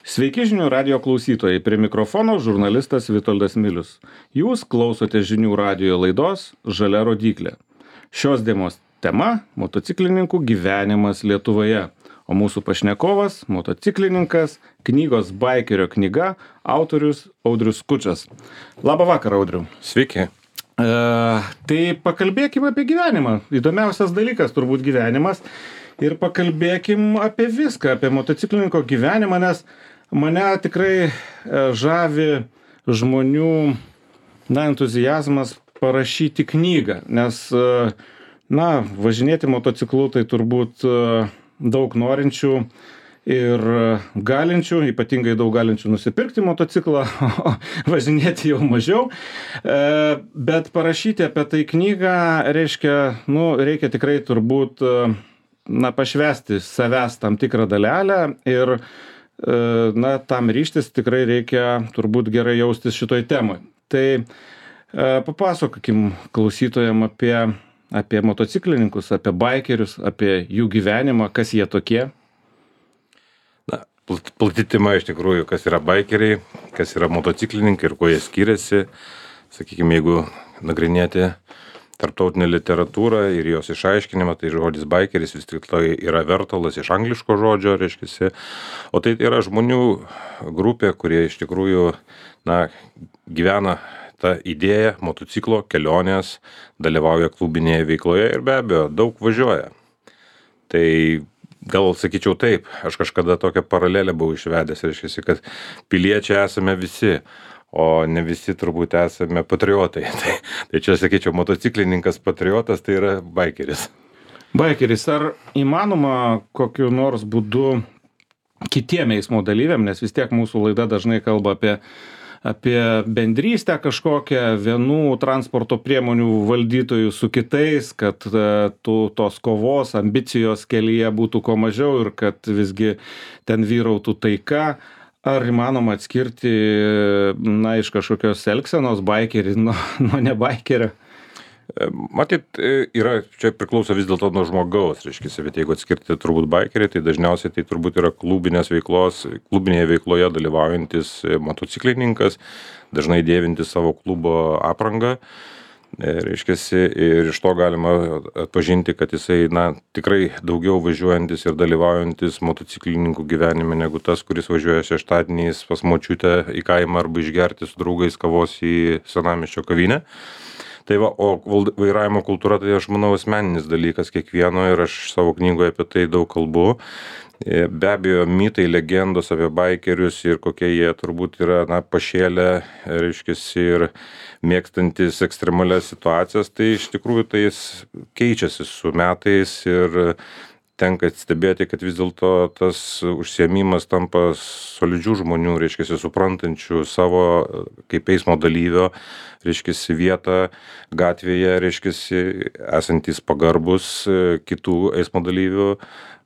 Sveiki žinių radio klausytojai, prie mikrofono žurnalistas Vitoldas Milius. Jūs klausote žinių radio laidos Žalia rodyklė. Šios dienos tema – motociklininkų gyvenimas Lietuvoje. O mūsų pašnekovas – motociklininkas, knygos Baikerio knyga, autorius Audrius Skučas. Labą vakarą, Audriu. Sveiki. Tai pakalbėkime apie gyvenimą. Įdomiausias dalykas turbūt gyvenimas. Ir pakalbėkim apie viską, apie motociklininko gyvenimą, nes mane tikrai žavi žmonių entuziazmas parašyti knygą, nes važinėti motociklu tai turbūt daug norinčių ir galinčių, ypatingai daug galinčių nusipirkti motociklą, o važinėti jau mažiau. Bet parašyti apie tai knygą reikia tikrai turbūt pašvęsti savęs tam tikrą dalelę ir tam ryžtis tikrai reikia turbūt gerai jaustis šitoj temoj. Tai papasakokim klausytojam apie motociklininkus, apie baikerius, apie jų gyvenimą, kas jie tokie. Plati tema iš tikrųjų, kas yra baikeriai, kas yra motociklininkai ir kuo jie skiriasi. Sakykime, jeigu nagrinėti tarptautinę literatūrą ir jos išaiškinimą, tai žodis baikeris vis tik tai yra vertalas iš angliško žodžio, reiškiasi. O tai yra žmonių grupė, kurie iš tikrųjų gyvena tą idėją motociklo kelionės, dalyvauja klubinėje veikloje ir be abejo daug važiuoja. Tai gal sakyčiau taip, aš kažkada tokią paralelę buvau išvedęs, reiškiasi, kad piliečiai esame visi, o ne visi turbūt esame patriotai. Tai čia sakyčiau, motociklininkas patriotas tai yra baikeris. Baikeris, ar įmanoma kokiu nors būdu kitiem eismo dalyviam, nes vis tiek mūsų laida dažnai kalba apie bendrystę kažkokią vienų transporto priemonių valdytojų su kitais, kad tos kovos, ambicijos kelyje būtų kuo mažiau ir kad visgi ten vyrautų taika. Ar įmanoma atskirti iš kažkokios elgsenos baikerį nuo ne baikerio? Matyt, čia priklauso vis dėlto nuo žmogaus, reiškia, bet jeigu atskirti turbūt baikerį, tai dažniausiai tai turbūt yra klubinėje veikloje dalyvaujantis motociklininkas, dažnai dėvintis savo klubo aprangą. Reiškiasi, ir iš to galima atpažinti, kad jisai tikrai daugiau važiuojantis ir dalyvaujantis motociklininkų gyvenime negu tas, kuris važiuoja šeštadieniais pas močiutę į kaimą arba išgerti su draugais kavos į senamiesčio kavinę. Tai o vairavimo kultūra, tai aš manau asmeninis dalykas kiekvieno ir aš savo knygoje apie tai daug kalbu. Be abejo, mitai, legendos apie baikerius ir kokie jie turbūt yra pašėlę, reiškiasi, ir mėgstantis ekstremalias situacijas, tai iš tikrųjų tai jis keičiasi su metais ir tenka stebėti, kad vis dėlto tas užsiėmimas tampa solidžių žmonių, reiškiasi, suprantančių savo kaip eismo dalyvio, reiškiasi, vietą gatvėje, reiškiasi, esantis pagarbus kitų eismo dalyvių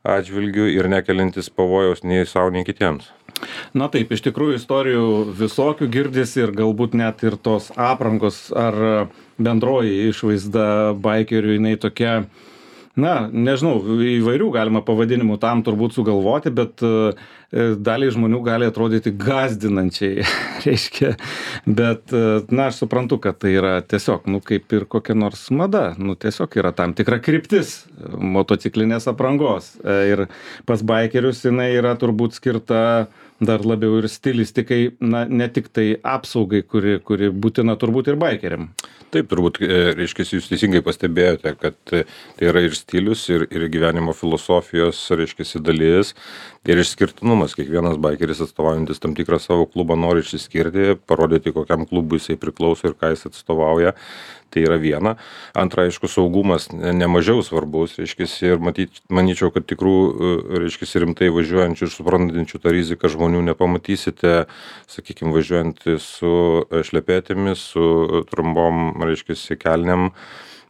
atžvilgių ir nekeliantis pavojaus nei savo, nei kitiems. Taip, iš tikrųjų istorijų visokių girdisi ir galbūt net ir tos aprangos ar bendroji išvaizda baikerių, jinai tokia, nežinau, įvairių galima pavadinimų tam turbūt sugalvoti, bet daliai žmonių gali atrodyti gąsdinančiai, reiškia, bet, aš suprantu, kad tai yra tiesiog, kaip ir kokia nors mada, tiesiog yra tam tikra kryptis motociklinės aprangos ir pas baikerius jinai yra turbūt skirta dar labiau ir stilistikai, ne tik tai apsaugai, kuri būtina turbūt ir baikeriam. Taip, turbūt, reiškia, jūs teisingai pastebėjote, kad tai yra ir stilius, ir gyvenimo filosofijos, reiškia, dalis, ir išskirtinumas. Kiekvienas baikeris atstovaujantis tam tikrą savo klubą nori išsiskirti, parodyti, kokiam klubui jisai priklauso ir ką jis atstovauja. Tai yra viena. Antra, aišku, saugumas nemažiau svarbus, reiškia, ir manyčiau, kad tikrų, reiškia, rimtai važiuojančių ir suprantančių tą riziką žmonių nepamatysite, sakykime, važiuojant su šlepetėmis, su trumpom, reiškia, kelnėm,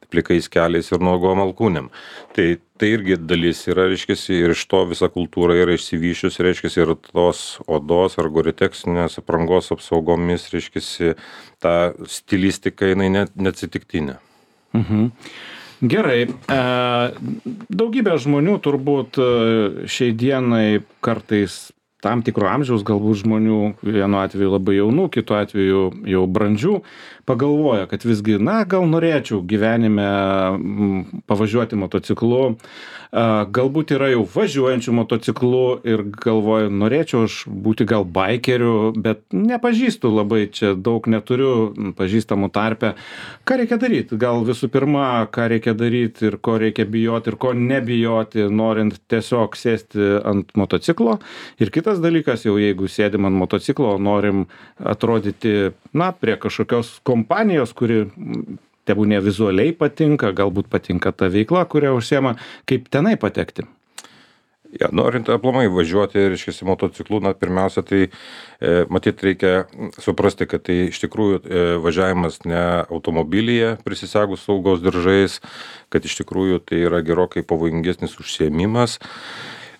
plikais keliais ir nuogom alkūnėm. Tai irgi dalis yra, reiškia, ir iš to visa kultūra yra išsivyščius, reiškia, ir tos odos ar goreteksinės aprangos apsaugomis, reiškia, ta stilistika, jinai neatsitiktinė. Gerai. Daugybė žmonių turbūt šiai dienai kartais tam tikro amžiaus galbūt žmonių, vienu atveju labai jaunų, kitu atveju jau brandžių, pagalvoja, kad visgi, na, gal norėčiau gyvenime pavažiuoti motociklu, galbūt yra jau važiuojančių motociklu ir galvoja, norėčiau aš būti gal baikeriu, bet nepažįstu labai, čia daug neturiu pažįstamų tarpe. Ką reikia daryti? Gal visų pirma, ką reikia daryti ir ko reikia bijoti ir ko nebijoti, norint tiesiog sėsti ant motociklo. Ir kitas dalykas, jau jeigu sėdim ant motociklo, norim atrodyti, na, prie kažkokios kompanijos, kuri tebūnie vizualiai patinka, galbūt patinka ta veikla, kurią užsiema, kaip tenai patekti. Ja, norint aplamai važiuoti, reiškia, motociklu, na, pirmiausia, tai matyt reikia suprasti, kad tai iš tikrųjų važiavimas ne automobilyje prisisegus saugos diržais, kad iš tikrųjų tai yra gerokai pavojingesnis užsiėmimas.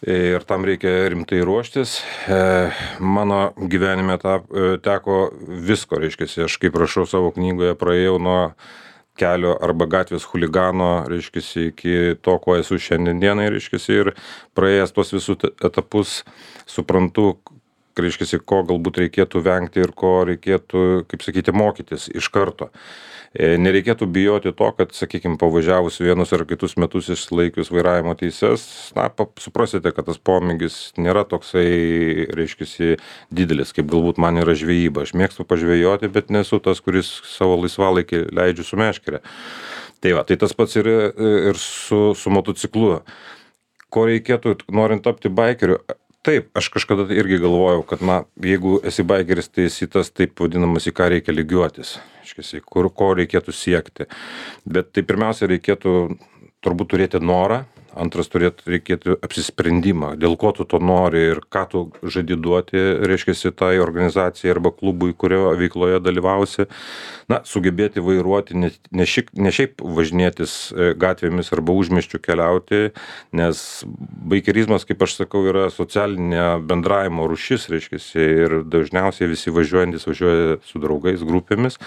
Ir tam reikia rimtai ruoštis. Mano gyvenime teko visko, reiškia, aš kaip rašau savo knygoje, praėjau nuo kelio arba gatvės chuligano, reiškia, iki to, ko esu šiandienai, reiškia, ir praėjęs tuos visus etapus suprantu, reiškia, ko galbūt reikėtų vengti ir ko reikėtų, kaip sakyti, mokytis iš karto. Nereikėtų bijoti to, kad, sakykime, pavažiavus vienus ar kitus metus išlaikius vairavimo teises, na, suprasite, kad tas pomėgis nėra toksai, reiškia, didelis, kaip galbūt man yra žvejyba. Aš mėgstu pažvejoti, bet nesu tas, kuris savo laisvalaikį leidžiu su meškere. Tai va, tai tas pats ir su motociklu. Ko reikėtų, norint tapti baikeriu? Taip, aš kažkada irgi galvojau, kad, na, jeigu esi baikeris, tai esi tas taip vadinamas, į ką reikia lygiuotis, ko reikėtų siekti. Bet tai pirmiausia reikėtų turbūt turėti norą, antras reikėtų apsisprendimą, dėl ko tu to nori ir ką tu žadi duoti, reiškia, tai organizacijai arba klubui, kurio veikloje dalyvausi. Na, sugebėti vairuoti, ne šiaip važinėtis gatvėmis arba užmiesčiu keliauti, nes baikerizmas, kaip aš sakau, yra socialinė bendravimo rūšis, reiškia, ir dažniausiai visi važiuojantis važiuoja su draugais, grupėmis.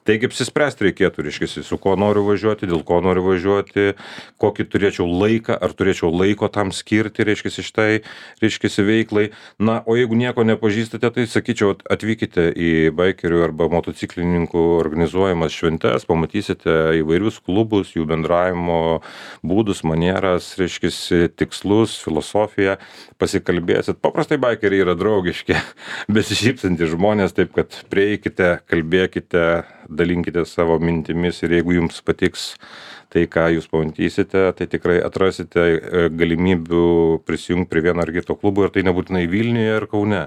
Taigi apsispręsti reikėtų, reiškia, su ko noriu važiuoti, dėl ko noriu važiuoti, kokį turėčiau laiką, ar turėčiau laiko tam skirti, reiškia, šitai, reiškia, veiklai. Na, o jeigu nieko nepažįstate, tai sakyčiau, atvykite į baikerių arba motociklininkų organizuojamas šventes, pamatysite įvairius klubus, jų bendravimo būdus, manieras, reiškia, tikslus, filosofiją, pasikalbėsit. Paprastai baikeriai yra draugiški, besišypsantys žmonės, taip kad prieikite, kalbėkite, dalinkite savo mintimis ir jeigu jums patiks tai, ką jūs pamatysite, tai tikrai atrasite galimybių prisijungti prie vieno ar kito klubo ir tai nebūtinai Vilniuje ar Kaune,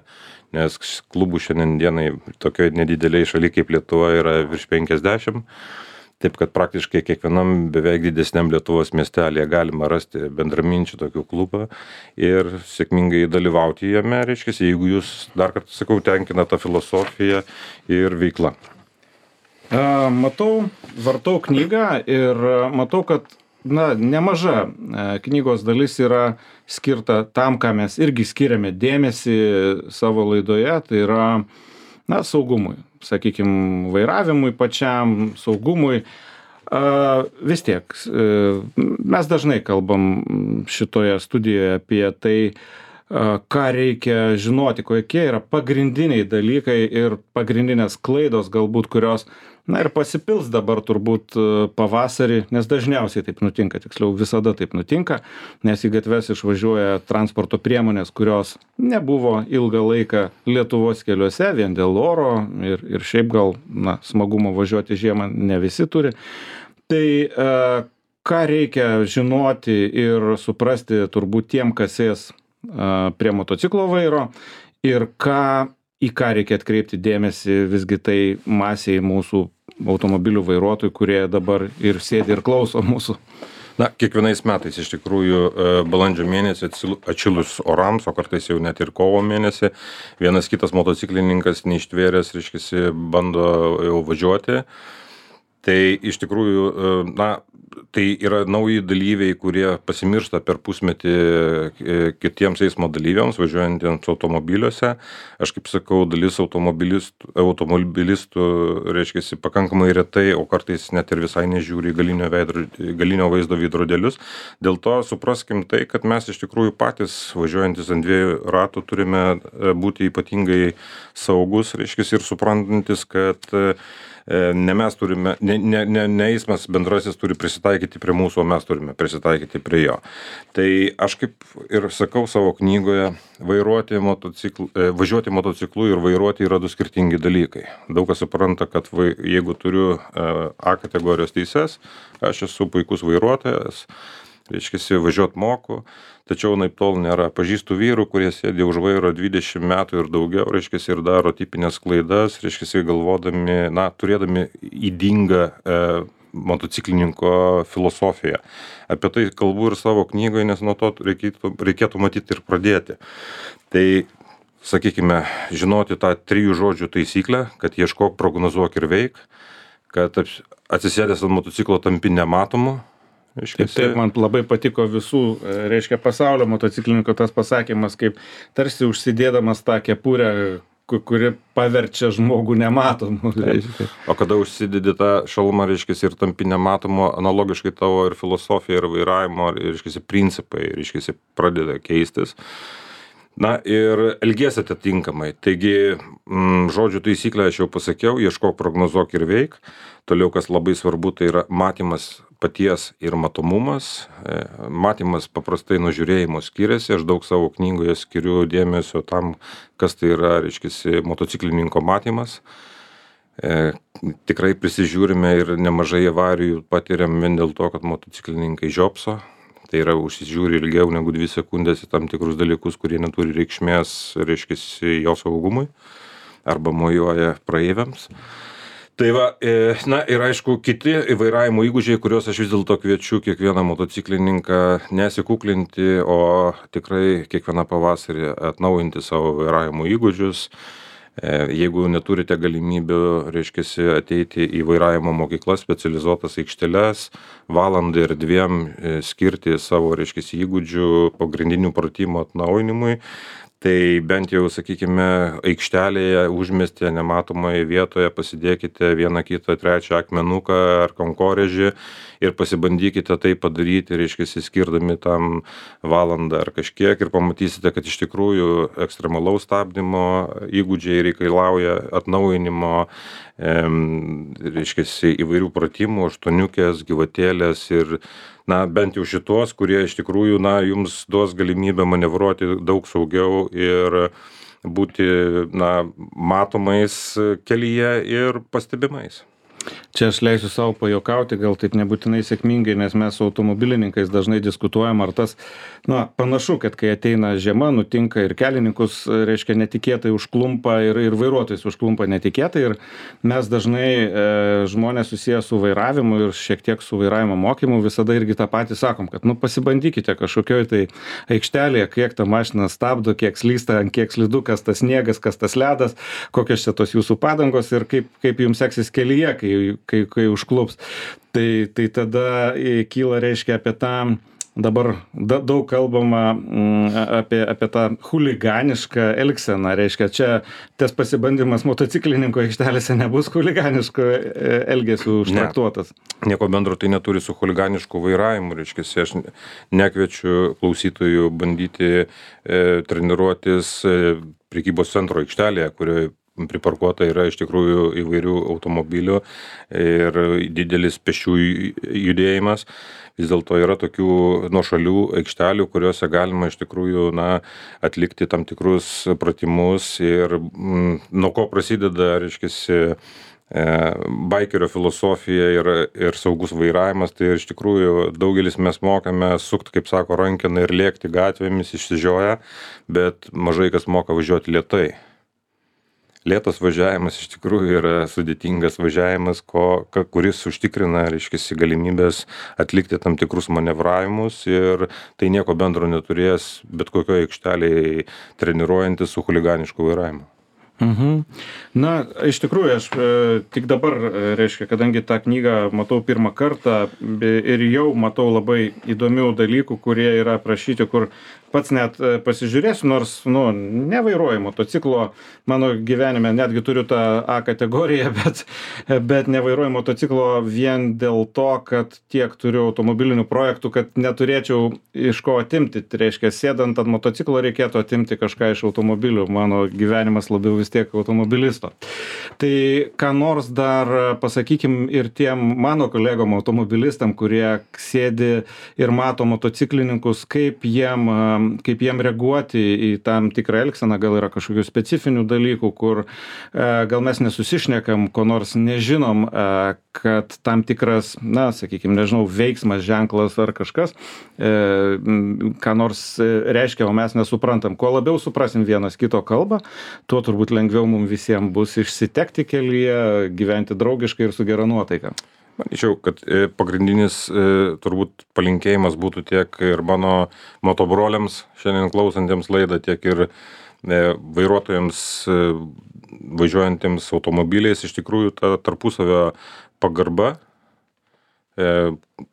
nes klubų šiandienai tokioje nedideliai šalyje kaip Lietuva yra virš 50, taip kad praktiškai kiekvienam beveik didesniam Lietuvos miestelėje galima rasti bendraminčių tokių klubą ir sėkmingai dalyvauti jame, reiškia, jeigu jūs, dar kartą sakau, tenkina tą filosofiją ir veiklą. Matau, vartau knygą ir matau, kad, na, nemaža knygos dalis yra skirta tam, ką mes irgi skiriame dėmesį savo laidoje, tai yra, na, saugumui, sakykime, vairavimui pačiam, saugumui. Vis tiek, mes dažnai kalbam šitoje studijoje apie tai, ką reikia žinoti, kokie yra pagrindiniai dalykai ir pagrindinės klaidos galbūt, kurios, na, ir pasipils dabar turbūt pavasarį, nes dažniausiai taip nutinka, tiksliau visada taip nutinka, nes į gatves išvažiuoja transporto priemonės, kurios nebuvo ilgą laiką Lietuvos keliuose vien dėl oro ir šiaip gal, na, smagumo važiuoti žiemą ne visi turi. Tai ką reikia žinoti ir suprasti turbūt tiem, kas sės prie motociklo vairo ir į ką reikia atkreipti dėmesį visgi tai masiai mūsų automobilių vairuotojų, kurie dabar ir sėdi ir klauso mūsų. Na, kiekvienais metais iš tikrųjų balandžio mėnesį atšilus orams, o kartais jau net ir kovo mėnesį, vienas kitas motociklininkas neištvėręs, reiškia, bando jau važiuoti. Tai iš tikrųjų, na, tai yra nauji dalyviai, kurie pasimiršta per pusmetį kitiems eismo dalyviams, važiuojantiems automobiliuose. Aš kaip sakau, dalis automobilistų, reiškia, pakankamai retai, o kartais net ir visai nežiūri į galinio vaizdo veidrodėlius. Dėl to supraskim tai, kad mes iš tikrųjų patys važiuojantis ant 2 ratų turime būti ypatingai saugus, reiškia, ir suprantantis, kad ne mes turime, ne eismas bendrasis turi prisitaikyti prie mūsų, o mes turime prisitaikyti prie jo. Tai aš kaip ir sakau savo knygoje, važiuoti motociklu ir vairuoti yra 2 skirtingi dalykai. Daug kas supranta, kad jeigu turiu A kategorijos teises, aš esu puikus vairuotojas, reiškia, važiuot moku, tačiau naip tol nėra. Pažįstu vyrų, kurie sėdė už vairo 20 metų ir daugiau, reiškia, ir daro tipinės klaidas, reiškia, galvodami, na, turėdami ydingą motociklininko filosofiją. Apie tai kalbu ir savo knygoje, nes nuo to reikėtų matyti ir pradėti. Tai, sakykime, žinoti tą 3 žodžių taisyklę, kad ieškok, prognozuok ir veik, kad atsisėdęs ant motociklo tampi nematomu. Taip, man labai patiko visų, reiškia, pasaulio motociklininko tas pasakymas, kaip tarsi užsidėdamas tą kepurę, kuri paverčia žmogų nematomu. O kada užsidedi tą šalmą, reiškia, ir tampi nematomu, analogiškai tavo ir filosofija, ir vairavimo, reiškia, principai, reiškia, pradeda keistis. Na ir elgiesi atitinkamai. Taigi, žodžių taisyklę aš jau pasakiau, ieškok, prognozuok ir veik. Toliau, kas labai svarbu, tai yra matymas paties ir matomumas. Matymas paprastai nuo žiūrėjimo skiriasi. Aš daug savo knygoje skiriu dėmesio tam, kas tai yra, reiškia, motociklininko matymas. Tikrai prisižiūrime ir nemažai avarijų patiriam vien dėl to, kad motociklininkai žiopso. Tai yra užsižiūri ilgiau negu 2 sekundės į tam tikrus dalykus, kurie neturi reikšmės, reiškia, jo saugumui arba mojuoja praeiviams. Tai va, na ir aišku, kiti vairavimo įgūdžiai, kuriuos aš vis dėlto kviečiu kiekvieną motociklininką nesikuklinti, o tikrai kiekvieną pavasarį atnaujinti savo vairavimo įgūdžius. Jeigu neturite galimybių, reiškia, ateiti į vairavimo mokyklas, specializuotas aikšteles, valandą ir 2 skirti savo, reiškia, įgūdžių pagrindinių pratimų atnaujinimui, tai bent jau, sakykime, aikštelėje, užmiestyje, nematomoje vietoje pasidėkite 1, 2, 3 akmenuką ar kankorėžį ir pasibandykite tai padaryti, reiškia, skirdami tam valandą ar kažkiek ir pamatysite, kad iš tikrųjų ekstremalaus stabdymo įgūdžiai reikalauja atnaujinimo, reiškia, įvairių pratimų, aštuoniukės, gyvatėlės ir na, bent jau šitos, kurie iš tikrųjų, na, jums duos galimybę manevruoti daug saugiau ir būti, na, matomais kelyje ir pastebimais. Čia aš leisiu savo pajuokauti, gal taip nebūtinai sėkmingai, nes mes su automobilininkais dažnai diskutuojam, ar tas, na, panašu, kad kai ateina žiema, nutinka ir kelininkus, reiškia, netikėtai užklumpa ir vairuotojus užklumpa netikėtai ir mes dažnai žmonės susiję su vairavimu ir šiek tiek su vairavimo mokymu visada irgi tą patį sakom, kad, nu, pasibandykite kažkokioj tai aikštelėje, kiek ta mašina stabdo, kiek slysta, kiek slidu, kas tas sniegas, kas tas ledas, kokios čia tos jūsų padangos ir kaip jums seksis kelyje, kai užklups. Tai tada kyla, reiškia, apie tą, dabar daug kalbama apie tą chuliganišką elgseną, reiškia, čia tas pasibandymas motociklininko aikštelėse nebus chuliganiško elgesių užtraktuotas. Nieko bendro tai neturi su chuliganišku vairavimu, reiškia, aš nekviečiu klausytojų bandyti treniruotis prekybos centro aikštelėje, kurioje priparkuota yra iš tikrųjų įvairių automobilių ir didelis pėsčiųjų judėjimas. Vis dėlto yra tokių nuošalių aikštelių, kuriuose galima iš tikrųjų, na, atlikti tam tikrus pratimus ir nuo ko prasideda, reiškia, baikerio filosofija ir saugus vairavimas, tai iš tikrųjų daugelis mes mokame sukti, kaip sako, rankeną ir lėkti gatvėmis išsižioję, bet mažai kas moka važiuoti lėtai. Lėtas važiavimas iš tikrųjų yra sudėtingas važiavimas, kuris užtikrina, reiškia, galimybės atlikti tam tikrus manevravimus ir tai nieko bendro neturės bet kokioje aikštelėje treniruojantis su chuliganišku vairavimu. Na, iš tikrųjų, aš tik dabar, reiškia, kadangi tą knygą matau pirmą kartą ir jau matau labai įdomių dalykų, kurie yra aprašyti, kur pats net pasižiūrėsiu, nors, nu, nevairuoju motociklo, mano gyvenime netgi turiu tą A kategoriją, bet nevairuoju motociklo vien dėl to, kad tiek turiu automobilinių projektų, kad neturėčiau iš ko atimti. Tai reiškia, sėdant ant motociklo reikėtų atimti kažką iš automobilių. Mano gyvenimas labiau vis tiek automobilisto. Tai ką nors dar pasakykim ir tiem mano kolegom automobilistam, kurie sėdi ir mato motociklininkus, kaip jiem reaguoti į tam tikrą elgseną, gal yra kažkokių specifinių dalykų, kur gal mes nesusišnekam, ko nors nežinom, kad tam tikras, na, sakykime, nežinau, veiksmas, ženklas ar kažkas, ką nors reiškia, o mes nesuprantam. Kuo labiau suprasim vienas kito kalbą, tuo turbūt lengviau mums visiems bus išsitekti kelyje, gyventi draugiškai ir su gera nuotaika. Manyčiau, kad pagrindinis turbūt palinkėjimas būtų tiek ir mano motobroliams šiandien klausantiems laidą, tiek ir vairuotojams važiuojantiems automobiliais, iš tikrųjų ta tarpusavio pagarba,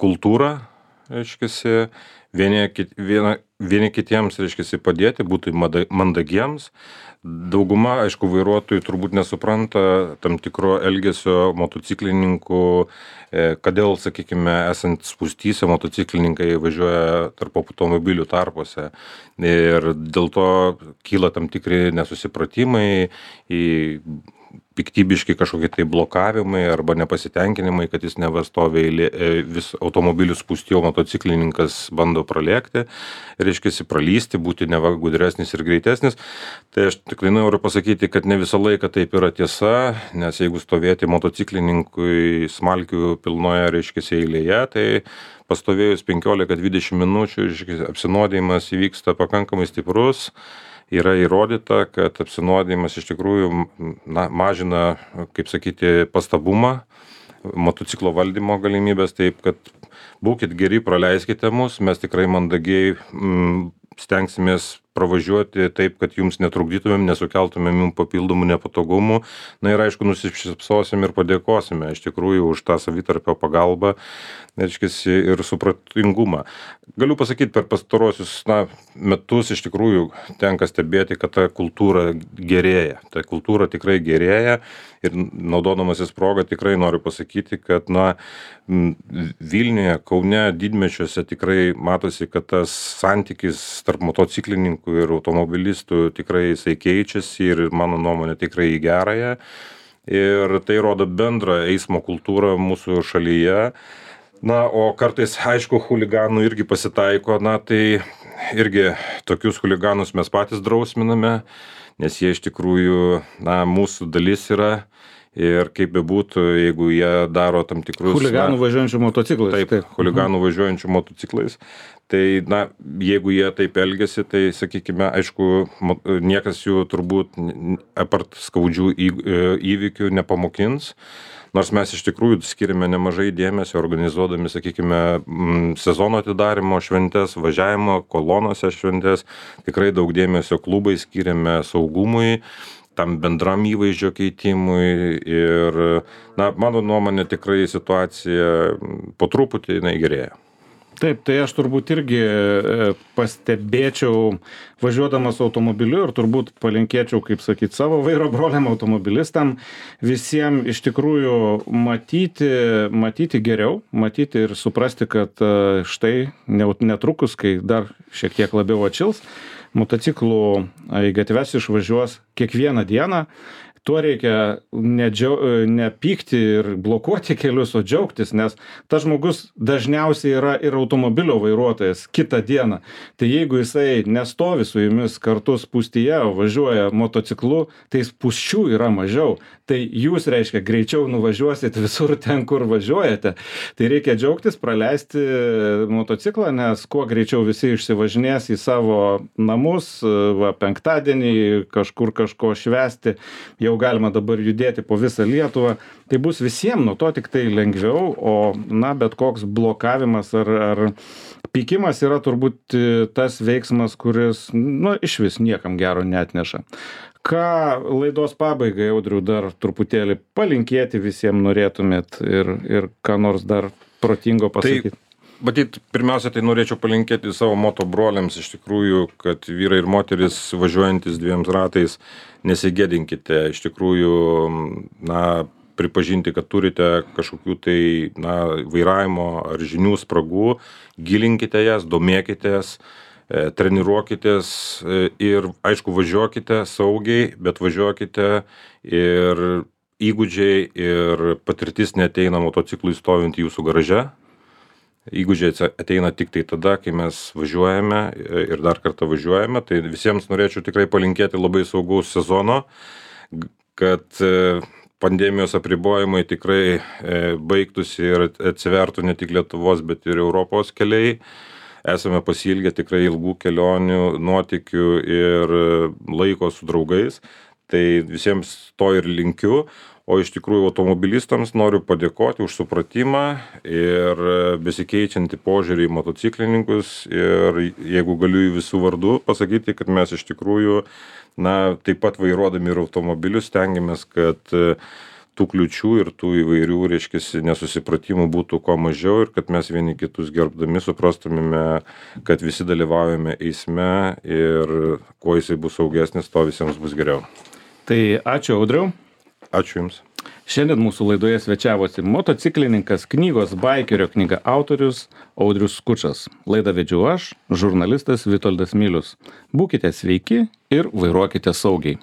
kultūra, reiškiasi, vieni kitiems, reiškiasi, padėti, būti mandagiems. Dauguma, aišku, vairuotojų turbūt nesupranta tam tikro elgesio motociklininkų, kodėl, sakykime, esant spūstyse, motociklininkai važiuoja tarp automobilių tarpuose. Ir dėl to kyla tam tikri nesusipratimai, piktybiški kažkokie tai blokavimai arba nepasitenkinimai, kad jis nevastovi vis automobilių spūsti, o motociklininkas bando pralėkti, reiškia, pralysti, būti neva gudresnis ir greitesnis. Tai aš tikrai noriu pasakyti, kad ne visą laiką taip yra tiesa, nes jeigu stovėti motociklininkui smalkių pilnoje, reiškia, eilėje, tai pastovėjus 15-20 minučių, reiškia, apsinuodijimas įvyksta pakankamai stiprus. Yra įrodyta, kad apsinuodijimas iš tikrųjų mažina, kaip sakyti, pastabumą, motociklo valdymo galimybės, taip kad būkit geri, praleiskite mus, mes tikrai mandagiai stengsimės pravažiuoti taip, kad jums netrukdytumėm, nesukeltumėm jums papildomų nepatogumų. Na ir aišku, nusišypsosim ir padėkosime iš tikrųjų už tą savitarpio pagalbą, reiškiasi, ir supratingumą. Galiu pasakyti, per pastarosius metus iš tikrųjų tenka stebėti, kad ta kultūra gerėja. Ta kultūra tikrai gerėja ir naudodamasis progą tikrai noriu pasakyti, kad Vilniuje, Kaune, didmečiuose tikrai matosi, kad tas santykis tarp motociklininkų ir automobilistų tikrai jisai keičiasi ir mano nuomonė tikrai į gerąją. Ir tai rodo bendrą eismo kultūrą mūsų šalyje. O kartais, aišku, chuliganų irgi pasitaiko, tai irgi tokius chuliganus mes patys drausminame, nes jie iš tikrųjų, mūsų dalis yra. Ir kaip bebūtų, jeigu jie daro tam tikrus... Chuliganų važiuojančių motociklais. Taip, chuliganų važiuojančių motociklais. Tai, jeigu jie taip elgiasi, tai, sakykime, aišku, niekas jų turbūt, apart skaudžių įvykių, nepamokins. Nors mes iš tikrųjų skiriame nemažai dėmesio organizuodami, sakykime, sezono atidarimo šventes, važiavimo kolonose šventes. Tikrai daug dėmesio klubai skiriame saugumui, tam bendram įvaizdžio keitimui ir, mano nuomonė, tikrai situacija po truputį gerėja. Taip, tai aš turbūt irgi pastebėčiau važiuodamas automobiliu ir turbūt palinkėčiau, kaip sakyti, savo vairo broliam automobilistam visiems iš tikrųjų matyti geriau, matyti ir suprasti, kad štai netrukus, kai dar šiek tiek labiau atšils, motociklų į gatves išvažiuos kiekvieną dieną. Tuo reikia nepykti ir blokuoti kelius, o džiaugtis, nes tas žmogus dažniausiai yra ir automobilio vairuotojas kitą dieną. Tai jeigu jisai nestovi su jumis kartu spūstyje, o važiuoja motociklu, tai spūsčių yra mažiau. Tai jūs, reiškia, greičiau nuvažiuosit visur ten, kur važiuojate. Tai reikia džiaugtis, praleisti motociklą, nes kuo greičiau visi išsivažinės į savo namus, penktadienį kažkur kažko švęsti, jau galima dabar judėti po visą Lietuvą, tai bus visiems nuo to tik tai lengviau, o bet koks blokavimas ar pykimas yra turbūt tas veiksmas, kuris iš vis niekam gero neatneša. ką laidos pabaigai, Audriau, dar truputėlį palinkėti visiems norėtumėt ir ką nors dar protingo pasakyti? Matyt, pirmiausia, tai norėčiau palinkėti savo moto broliams iš tikrųjų, kad vyrai ir moteris važiuojantis dviem ratais, nesigėdinkite, iš tikrųjų, pripažinti, kad turite kažkokių tai, vairavimo ar žinių spragų, gilinkite jas, domėkitės, treniruokitės ir, aišku, važiuokite saugiai, bet važiuokite ir įgūdžiai ir patirtis neateina motociklui stovint jūsų garaže. Įgūdžiai ateina tik tai tada, kai mes važiuojame ir dar kartą važiuojame. Tai visiems norėčiau tikrai palinkėti labai saugaus sezono, kad pandemijos apribojimai tikrai baigtųsi ir atsivertų ne tik Lietuvos, bet ir Europos keliai. Esame pasiilgę tikrai ilgų kelionių, nuotykių ir laiko su draugais. Tai visiems to ir linkiu. O iš tikrųjų automobilistams noriu padėkoti už supratimą ir besikeičiantį požiūrį į motociklininkus. Ir jeigu galiu į visų vardų pasakyti, kad mes iš tikrųjų, taip pat vairuodami ir automobilius stengiamės, kad tų kliučių ir tų įvairių, nesusipratimų būtų kuo mažiau ir kad mes vieni kitus gerbdami suprastumėme, kad visi dalyvaujame eisme ir kuo jisai bus saugesnis, to visiems bus geriau. Tai ačiū, Audriau. Ačiū Jums. Šiandien mūsų laidoje svečiavosi motociklininkas, knygos Baikerio knyga autorius Audrius Skučas. Laidą vedžiau aš, žurnalistas Vitoldas Milius. Būkite sveiki ir vairuokite saugiai.